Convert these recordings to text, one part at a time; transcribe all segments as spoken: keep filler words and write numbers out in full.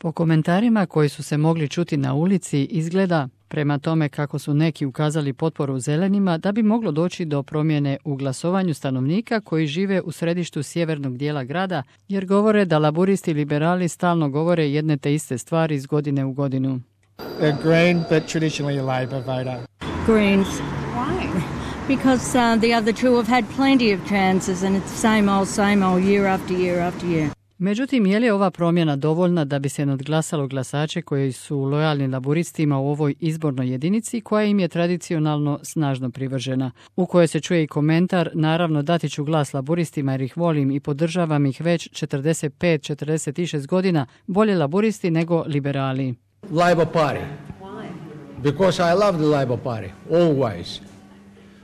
Po komentarima koji su se mogli čuti na ulici izgleda, prema tome kako su neki ukazali potporu zelenima, da bi moglo doći do promjene u glasovanju stanovnika koji žive u središtu sjevernog dijela grada, jer govore da laburisti i liberali stalno govore jedne te iste stvari iz godine u godinu. They're green, but traditionally a Labor voter. Greens. Why? Because uh, the other two have had plenty of chances and it's the same old, same old year after year after year. Međutim, je li ova promjena dovoljna da bi se nadglasalo glasače koji su lojalni laburistima u ovoj izbornoj jedinici koja im je tradicionalno snažno privržena, u kojoj se čuje i komentar: naravno dati ću glas laburistima jer ih volim i podržavam ih već četrdeset pet četrdeset šest godina, bolje laburisti nego liberali. Labor Party. Why? Because I love the Labor Party, always.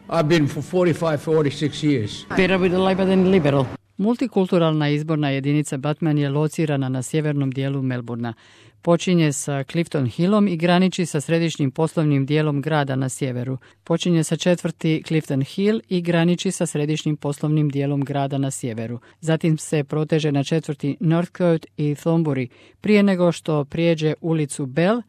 I've been for forty-five, forty-six years. Better with the Labor than liberal. Multikulturalna izborna jedinica Batman je locirana na sjevernom dijelu Melbourna. Počinje sa Clifton Hillom i graniči sa središnjim poslovnim dijelom grada na sjeveru. Počinje sa četvrti Clifton Hill i graniči sa središnjim poslovnim dijelom grada na sjeveru. Zatim se proteže na četvrti Northcote i Thornbury, prije nego što prijeđe ulicu Bell,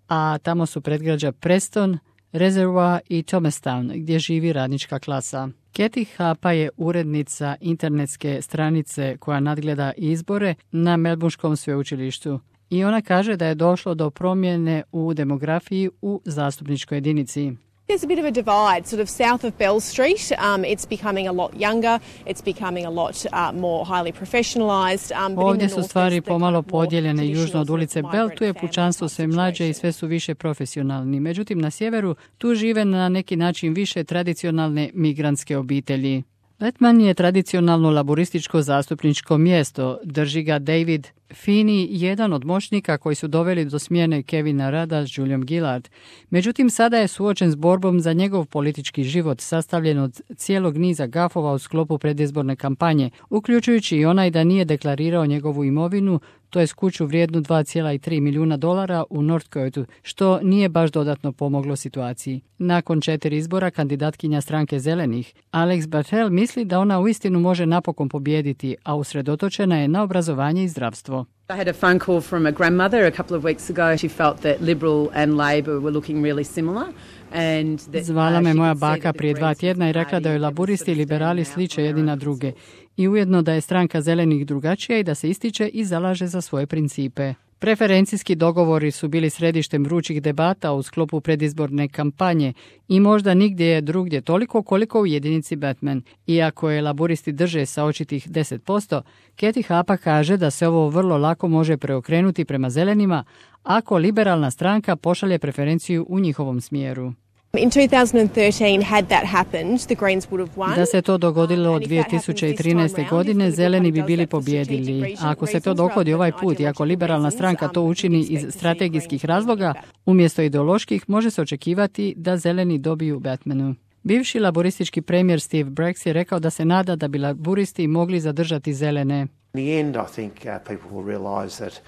a tamo su predgrađa Preston, Reservoir i Thomastown, gdje živi radnička klasa. Kathy Hapa je urednica internetske stranice koja nadgleda izbore na Melbournskom sveučilištu i ona kaže da je došlo do promjene u demografiji u zastupničkoj jedinici. There's a bit of a divide, sort of south of Bell Street. Um, it's becoming a lot younger. It's becoming a lot uh, more highly professionalized. Um, Ovdje su stvari pomalo podijeljene. Južno od ulice Bell tu je pučanstvo sve mlađe i sve su više profesionalni. Međutim, na sjeveru tu žive na neki način više tradicionalne migrantske obitelji. Batman je tradicionalno laburističko zastupničko mjesto, drži ga David Feeney, jedan od moćnika koji su doveli do smjene Kevina Rada s Juliom Gillard. Međutim, sada je suočen s borbom za njegov politički život, sastavljen od cijelog niza gafova u sklopu predizborne kampanje, uključujući i onaj da nije deklarirao njegovu imovinu, to je kuću vrijednu dva zarez tri milijuna dolara u Northcote, što nije baš dodatno pomoglo situaciji. Nakon četiri izbora, kandidatkinja stranke zelenih, Alex Bartel, misli da ona uistinu može napokon pobijediti, a usredotočena je na obrazovanje i zdravstvo. I had a phone call from a grandmother a couple of weeks ago. She felt that Liberal and Labor were looking really similar. And that, Zvala me uh, moja baka prije dva tjedna i rekla da joj laburisti i liberali sliče jedni na druge i ujedno da je stranka zelenih drugačija i da se ističe i zalaže za svoje principe. Preferencijski dogovori su bili središtem vrućih debata u sklopu predizborne kampanje i možda nigdje je drugdje toliko koliko u jedinici Batman. Iako je laburisti drže sa očitih deset posto, Kathy Hapa kaže da se ovo vrlo lako može preokrenuti prema zelenima ako liberalna stranka pošalje preferenciju u njihovom smjeru. In two thousand thirteen, had that happened, the Greens would have won. Da se to dogodilo od dvije tisuće trinaeste. godine, zeleni bi bili pobjedili. A ako se to dogodi ovaj put i ako liberalna stranka to učini iz strategijskih razloga, umjesto ideoloških, može se očekivati da zeleni dobiju Batmanu. Bivši laboristički premijer Steve Bracks je rekao da se nada da bi laburisti mogli zadržati zelene. In the end, I think uh, people will realise that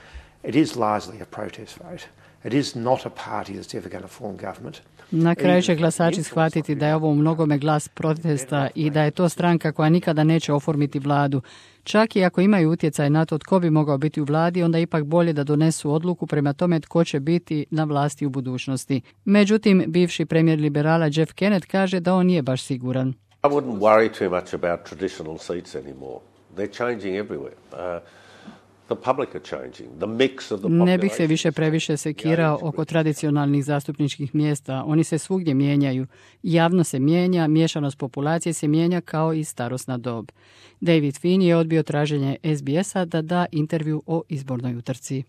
it is largely a protest vote. It is not a party that's ever going to form government. Na kraju će glasači shvatiti da je ovo u mnogome glas protesta i da je to stranka koja nikada neće oformiti vladu. Čak i ako imaju utjecaj na to tko bi mogao biti u vladi, onda ipak bolje da donesu odluku prema tome tko će biti na vlasti u budućnosti. Međutim, bivši premijer liberala Jeff Kennett kaže da on nije baš siguran. I wouldn't worry too much about traditional seats anymore. They're changing everywhere. Uh, The public are changing. The mix of the Ne bih se više previše sekirao oko tradicionalnih zastupničkih mjesta. Oni se svugdje mijenjaju. Javno se mijenja, miješanost populacije se mijenja kao i starosna dob. David Feeney je odbio traženje S B S-a da da intervju o izbornoj utrci.